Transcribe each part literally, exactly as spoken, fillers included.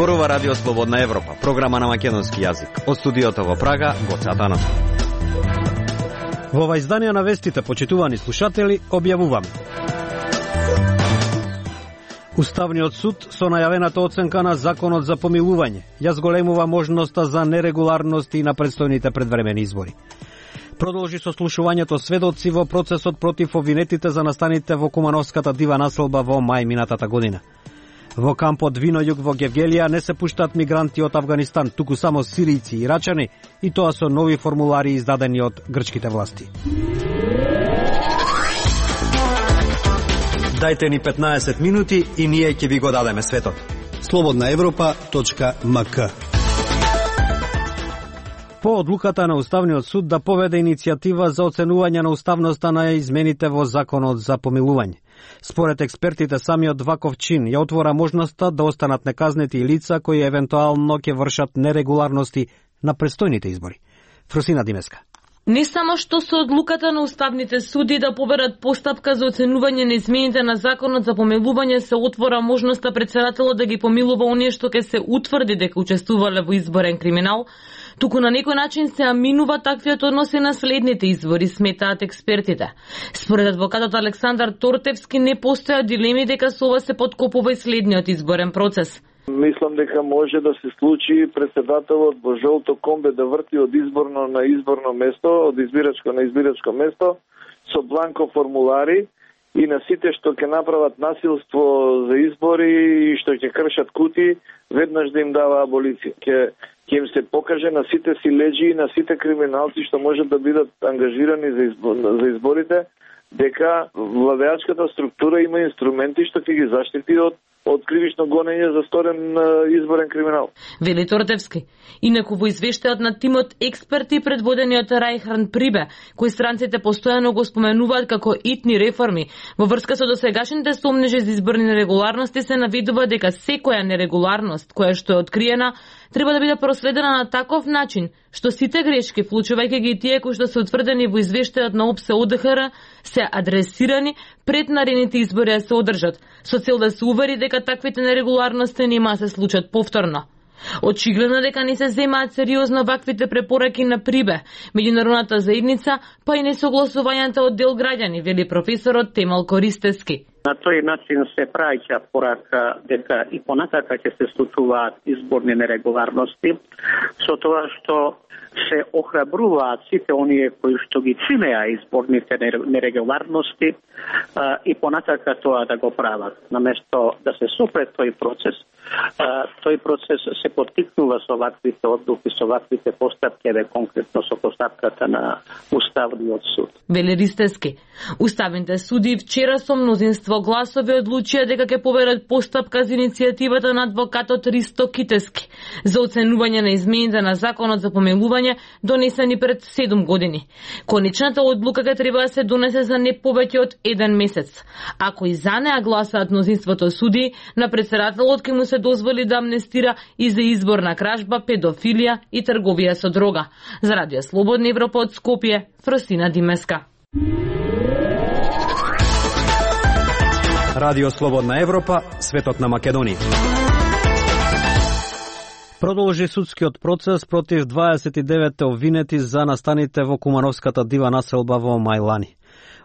Зборува Радио Слободна Европа, програма на македонски јазик. Од студиото во Прага, Гоце Атанов. Во ова издание на вестите, почитувани слушатели, објавуваме. Уставниот суд со најавената оценка на законот за помилување ја зголемува можноста за нерегуларности на предстојните предвремени избори. Продолжи сослушувањето сведоци во процесот против обвинетите за настаните во Кумановската дива населба во мај минатата година. Во кампот Винојуг во Гевгелија не се пуштаат мигранти од Авганистан, туку само сиријци и ирачани, и тоа со нови формулари издадени од грчките власти. Дајте ни петнаесет минути и ние ќе ви го дадеме светот. слободна европа точка ем ка. По одлуката на Уставниот суд да поведе иницијатива за оценување на уставноста на измените во законот за помилување. Според експертите, самиот ваков чин ја отвора можноста да останат неказнети и лица кои евентуално ќе вршат нерегуларности на престојните избори. Фросина Димеска. Не само што со одлуката на уставните суди да поберат постапка за оценување на измените на законот за помилување се отвора можноста претседателот да ги помилува оние што ќе се утврди дека учествувале во изборен криминал, туку на некој начин се аминува таквиот однос и на следните избори, сметаат експертите. Според адвокатот Александар Тортевски не постоја дилеми дека со ова се подкопува и следниот изборен процес. Мислам дека може да се случи претседателот во жолто комбе да врти од изборно на изборно место, од избирачко на избирачко место, со бланко формулари и на сите што ќе направат насилство за избори и што ќе кршат кути, веднаш да им дава аболиција. Ќе ќе им се покаже на сите силеџи и на сите криминалци што можат да бидат ангажирани за, избор, за изборите, дека владеачката структура има инструменти што ќе ги заштити од од кривично гонење за сторен изборен криминал. Вели Тортевски. Инаку во извештајот на тимот експерти предводени од Рајхан Прибе, кои странците постојано го споменуваат како итни реформи, во врска со досегашните сомнежи за изборни нерегуларности се навидува дека секоја нерегуларност која што е откриена треба да биде проследена на таков начин што сите грешки, вклучувајќи ги тие кои што се утврдени во извештајот на ОПСЕ ОДХР, се адресирани пред наредните избори да се одржат, со цел да се увери дека таквите нерегуларности нема да се случат повторно. Очигледно дека не се земаат сериозно ваквите препораки на Прибе, меѓународната заедница, па и несогласувањата од дел граѓани, вели професорот Темел Користевски. На тој начин се праќа порака дека и понатака ќе се случуваат изборни нерегуларности, со тоа што се охрабруваат сите оние кои што ги чинеа изборните нерегуларности а, и понатака тоа да го прават. Наместо да се сопре тој процес, а, тој процес се поттикнува со ваквите одлуки, со ваквите постапки, еве конкретно со постапката на Уставниот суд. Вели Ристески. Уставните суди вчера со мнозинство гласови одлучија дека ќе поберат постапка за иницијативата на адвокатот Ристо Китески за оценување на измените на законот за помилување донесени пред седум години. Конечната одлука ќе треба да се донесе за не повеќе од еден месец. Ако и за неа гласаат мнозинството суди, на претседателот ќе му се дозволи да амнестира и за изборна кражба, педофилија и трговија со дрога. За Радио Слободна Европа од Скопје, Фросина Димеска. Радио Слободна Европа, светот на Македонија. Продолжи судскиот процес против дваесет и девет обвинети за настаните во Кумановската дива населба во Мајлани.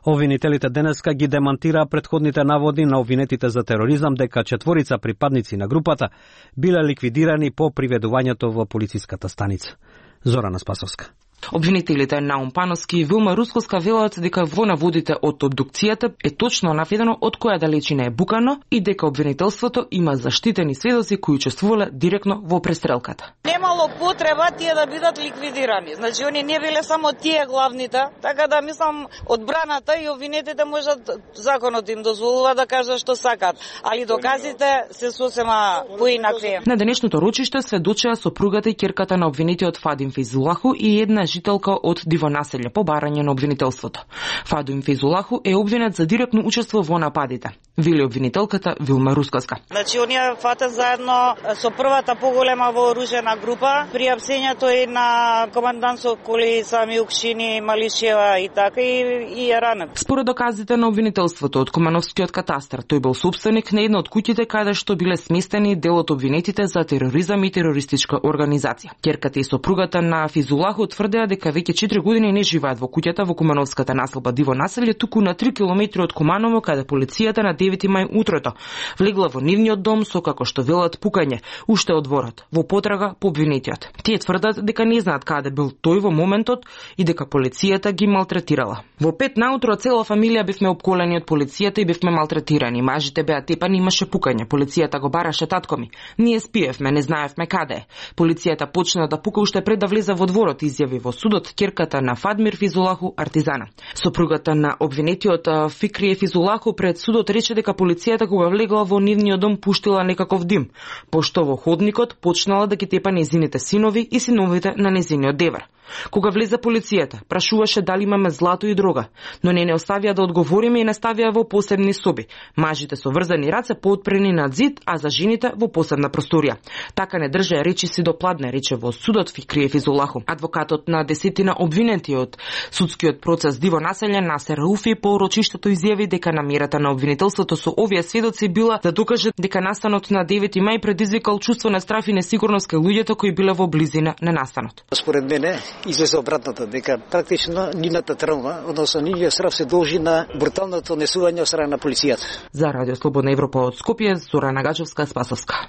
Обвинителите денеска ги демантираа претходните наводи на обвинетите за тероризам дека четворица припадници на групата биле ликвидирани по приведувањето во полициската станица. Зорана Спасовска. Обвинителите Наум Пановски и Вилма Рускоска велат дека во наводите од обдукцијата е точно наведено од која далечина е букано и дека обвинителството има заштитени сведоци кои учествувале директно во престрелката. Немало потреба тие да бидат ликвидирани. Значи они не биле само тие главните, така да мислам одбраната и обвинетите можат законот им дозволува да кажат што сакат, али доказите се сосема поинакви. На денешното рочиште сведочеа сопругата и ќерката на обвинетиот Фадим Фейзулаху и една жителка од Дивонаселје по барање на обвинителството. Фадуим Фейзулаху е обвинет за директно учество во нападите, вели обвинителката Вилма Рускоска. Значи, оние фатат заедно со првата поголема вооружена група, при апсењето и на командант со коли сами Укшини, Малишева и така и, и е ранен. Според доказите на обвинителството од Кумановскиот катастар, тој бил собственик на една од куќите каде што биле сместени дел од обвинетите за тероризам и терористичка организација. Ќерката и сопругата на Физулаху тврдеа дека веќе четири години не живеат во куќата во Кумановската населба Дивонаселје, туку на три километри од Куманово, каде полицијата на девети мај утрото влегла во нивниот дом со, како што велат, пукање уште од дворот, во потрага по обвинетиот. Тие тврдат дека не знаат каде бил тој во моментот и дека полицијата ги малтретирала. Во пет наутро цела фамилија бевме опколени од полицијата и бевме малтретирани. Мажите беа тепани, имаше пукање. Полицијата го бараше татко ми. Ние спиевме, не знаевме каде е. Полицијата почна да пука уште пред да влезе во дворот, изјави во судот ќерката на Фадмир Физулаху Артизана. Сопругата на обвинетиот Фикрие Физулаху пред судот рече дека полицијата кога влегла во нивниот дом пуштила некаков дим, пошто во ходникот почнала да ги тепа незините синови и синовите на незиниот девер. Кога влезе полицијата, прашуваше дали имаме злато и дрога, но не не оставија да одговориме и наставија во посебни соби. Мажите со врзани раце поотпрени над зид, а за жените во посебна просторија. Така не држеа речи си до пладне, рече во судот Фикрие Физулаху. Адвокатот на десетина обвинети од судскиот процес Дивонаселје Насер Рауфи по рочиштето изјави дека намерата на обвинителството со овие сведоци била да докаже дека настанот на девети мај предизвикал чувство на страф и несигурност кај луѓето кои биле во близина на настанот. Според мене излезе обратното, дека практично нивната травма, односно нивниот страф се должи на бруталното несување од страна на полицијата. За Радио Слободна Европа од Скопје, Зора Нагачевска, Спасовска.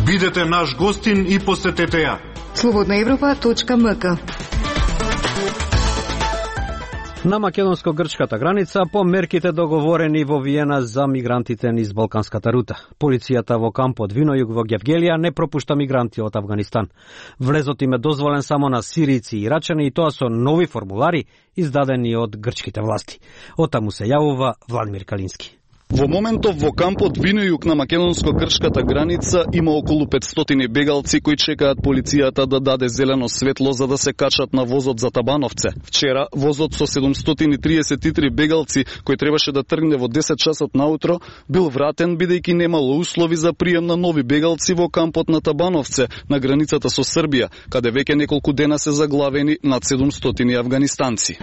Бидете наш гостин и посетете ја. слободна европа точка ем ка. На македонско-грчката граница по мерките договорени во Виена за мигрантите низ Балканската рута. Полицијата во кампот Винојуг во Гевгелија не пропушта мигранти од Авганистан. Влезот им е дозволен само на сирици и ирачани и тоа со нови формулари издадени од грчките власти. Отаму се јавува Владимир Калински. Во моментов во кампот Винојуг на македонско-грчката граница има околу петстотини бегалци кои чекаат полицијата да даде зелено светло за да се качат на возот за Табановце. Вчера возот со седумстотини и триесет и три бегалци кој требаше да тргне во десет часот наутро бил вратен бидејќи немало услови за прием на нови бегалци во кампот на Табановце на границата со Србија, каде веќе неколку дена се заглавени над седумстотини афганистанци.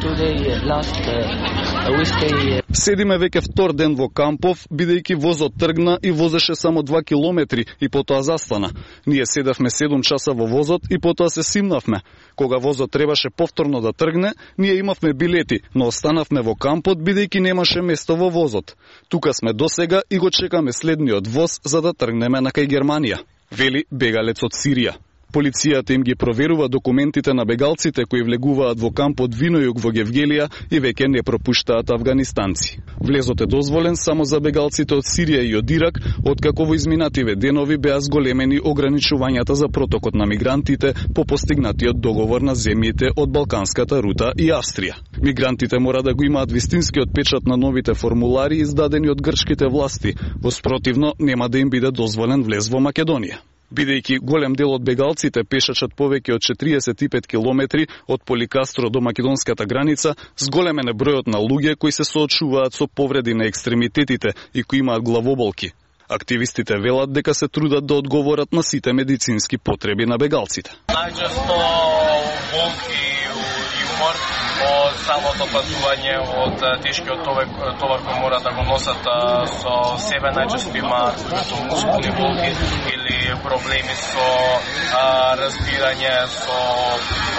Седиме веќе втор ден во кампов, бидејќи возот тргна и возеше само два километри и потоа застана. Ние седевме седум часа во возот и потоа се симнавме. Кога возот требаше повторно да тргне, ние имавме билети, но останавме во кампот бидејќи немаше место во возот. Тука сме досега и го чекаме следниот воз за да тргнеме на кај Германија, вели бегалец од Сирија. Полицијата им ги проверува документите на бегалците кои влегуваат во кампот Винојуг во Гевгелија и веќе не пропуштаат афганистанци. Влезот е дозволен само за бегалците од Сирија и од Ирак, откако во изминативе денови беа зголемени ограничувањата за протокот на мигрантите по постигнатиот договор на земјите од Балканската рута и Австрија. Мигрантите мора да го имаат вистинскиот печат на новите формулари издадени од грчките власти, во спротивно нема да им биде дозволен влез во Македонија. Бидејќи голем дел од бегалците пешачат повеќе од четириесет и пет километри од Поликастро до македонската граница, зголемен е бројот на луѓе кои се соочуваат со повреди на екстремитетите и кои имаат главоболки. Активистите велат дека се трудат да одговорат на сите медицински потреби на бегалците. Најчесто болки и умор од самото патување, од тешкиот товар, товар кој мора да го носат со себе, најчесто имаат мускулни болки или проблеми со а, разбирање, со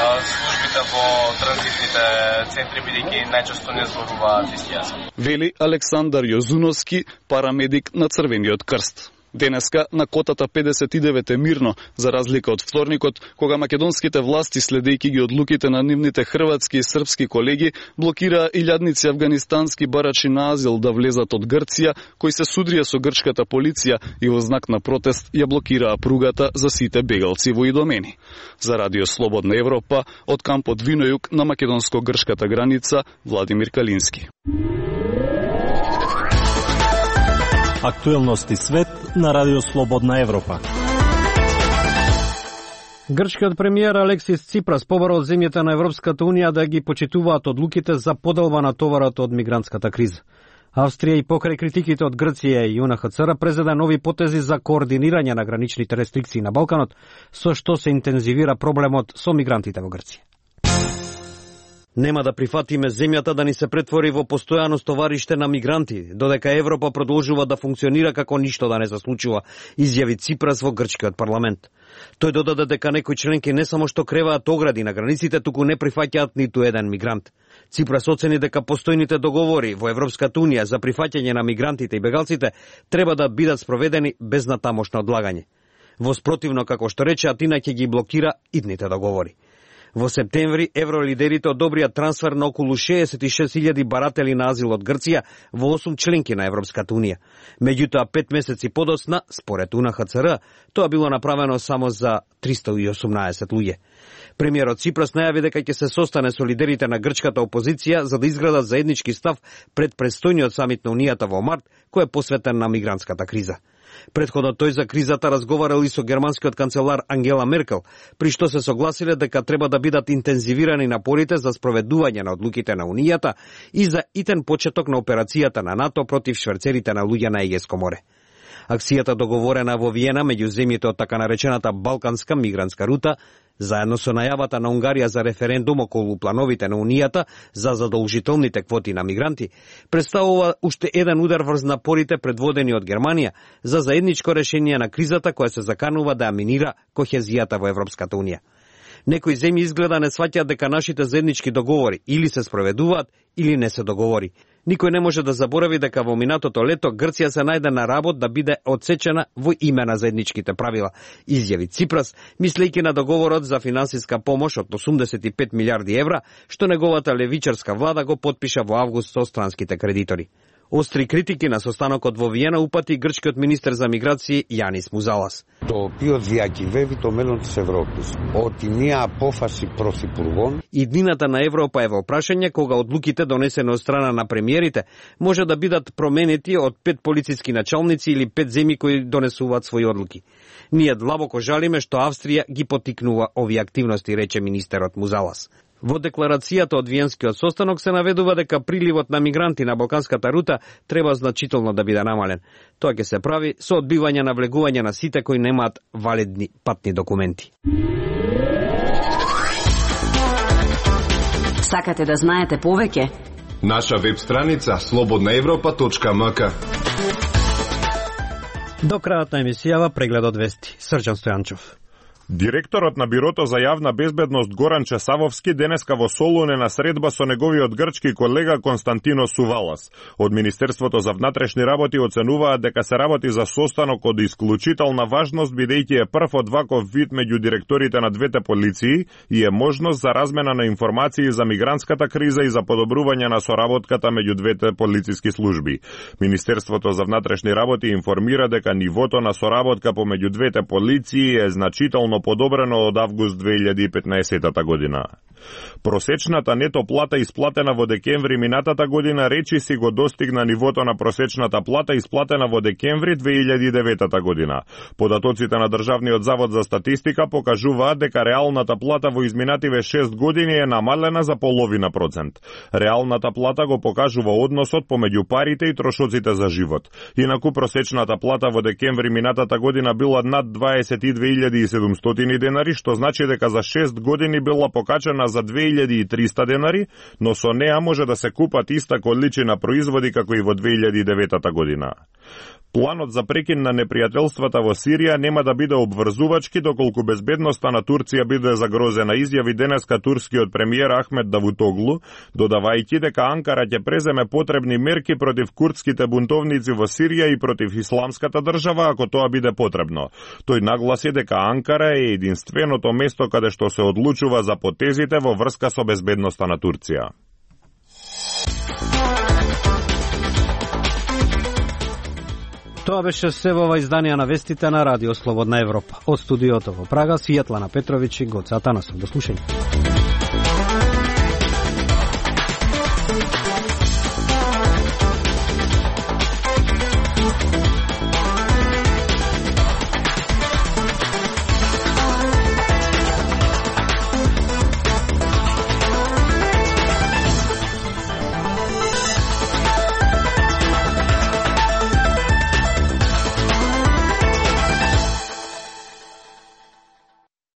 а, службите во транзитните центри, бидејќи најчесто не зборуваат исти јазик. Вели Александар Јозуновски, парамедик на Црвениот крст. Денеска на котата педесет и девет е мирно, за разлика од вторникот, кога македонските власти, следејќи ги одлуките на нивните хрватски и српски колеги, блокираа илјадници афганистански барачи на азил да влезат од Грција, кои се судрија со грчката полиција и во знак на протест ја блокираа пругата за сите бегалци во Идомени. За Радио Слободна Европа, од кампот Винојуг на македонско-грчката граница, Владимир Калински. Актуелности свет на Радио Слободна Европа. Грчкиот премиер Алексис Ципрас побара од земјите на Европската унија да ги почитуваат одлуките за поделба на товарот од мигрантската криза. Австрија и покрај критиките од Грција и ЮНХЦР презеде нови потези за координирање на граничните рестрикции на Балканот, со што се интензивира проблемот со мигрантите во Грција. Нема да прифатиме земјата да ни се претвори во постојано стовариште на мигранти, додека Европа продолжува да функционира како ништо да не се случува, изјави Ципрас во грчкиот парламент. Тој додаде дека некои членки не само што креваат огради на границите, туку не прифаќаат ниту еден мигрант. Ципрас оцени дека постојните договори во Европската унија за прифаќање на мигрантите и бегалците треба да бидат спроведени без натамошно одлагање. Во спротивно, како што рече, Атина ќе ги блокира идните договори. Во септември евролидерите одобрија трансфер на околу шеесет и шест илјади баратели на азил од Грција во осум членки на Европската унија. Меѓутоа, пет месеци подоцна, според УНХЦР, тоа било направено само за триста и осумнаесет луѓе. Премиерот Ципрас најави дека ќе се состане со лидерите на грчката опозиција за да изградат заеднички став пред престојниот самит на Унијата во март, кој е посветен на мигрантската криза. Предходно тој за кризата разговарал и со германскиот канцелар Ангела Меркел, при што се согласиле дека треба да бидат интензивирани напорите за спроведување на одлуките на Унијата и за итен почеток на операцијата на НАТО против шверцерите на луѓе на Егејско море. Акцијата договорена во Виена меѓу земјите од така наречената Балканска мигрантска рута, заедно со најавата на Унгарија за референдум околу плановите на Унијата за задолжителните квоти на мигранти, представува уште еден удар врз напорите предводени од Германија за заедничко решение на кризата која се заканува да ја минира кохезијата во Европската унија. Некои земји изгледа не сваќаат дека нашите заеднички договори или се спроведуваат, или не се договори. Никој не може да заборави дека во минатото лето Грција се најде на работ да биде отсечена во име на заедничките правила, изјави Ципрас, мислејќи на договорот за финансиска помош од осумдесет и пет милиарди евра, што неговата левичарска влада го потпиша во август со странските кредитори. Остри критики на состанокот во Виена упати грчкиот министер за миграции Јанис Музалас. Το οποίο διακυβεύει το μέλλον της Ευρώπης. Ότι μια απόφαση πρωθυπουργών... Иднината на Европа е во прашање кога одлуките донесени од страна на премиерите може да бидат променети од пет полициски началници или пет земји кои донесуваат своји одлуки. Ние длабоко жалиме што Австрија ги потикнува овие активности, рече министерот Музалас. Во декларацијата од Виенскиот состанок се наведува дека приливот на мигранти на Балканската рута треба значително да биде намален. Тоа ќе се прави со одбивање на влегување на сите кои немаат валидни патни документи. Сакате да знаете повеќе? Наша веб страница слободна европа точка ем ка. До крајот на емисијава прегледот вести. Срđan Стојанчов. Директорот на Бирото за јавна безбедност Горан Чесавовски денеска во Солун е на средба со неговиот грчки колега Константино Сувалас. Од Министерството за внатрешни работи оценуваат дека се работи за состанок од исклучителна важност, бидејќи е прв од ваков вид меѓу директорите на двете полиции и е можност за размена на информации за мигрантската криза и за подобрување на соработката меѓу двете полициски служби. Министерството за внатрешни работи информира дека нивото на соработка помеѓу двете полиции е значително подобрено од август две илјади и петнаесета година. Просечната нето плата исплатена во декември минатата година речиси го достигна нивото на просечната плата исплатена во декември две илјади и девета година. Податоците на Државниот завод за статистика покажуваат дека реалната плата во изминативе шест години е намалена за половина процент. Реалната плата го покажува односот помеѓу парите и трошоците за живот. Инаку просечната плата во декември минатата година била над дваесет и две илјади и седумстотини денари, што значи дека за шест години била покачена за две илјади и триста денари, но со неа може да се купат иста количина производи како и во две илјади и девета година. Планот за прекин на непријателствата во Сирија нема да биде обврзувачки доколку безбедноста на Турција биде загрозена, изјави денеска турскиот премиер Ахмет Давутоглу, додавајќи дека Анкара ќе преземе потребни мерки против курдските бунтовници во Сирија и против исламската држава ако тоа биде потребно. Тој нагласи дека Анкара е единственото место каде што се одлучува за потезите во врска со безбедноста на Турција. Тоа беше се во ова издание на вестите на Радио Слободна Европа. Од студиото во Прага, Светлана Петровиќ и Гоце Атанасов. До слушање.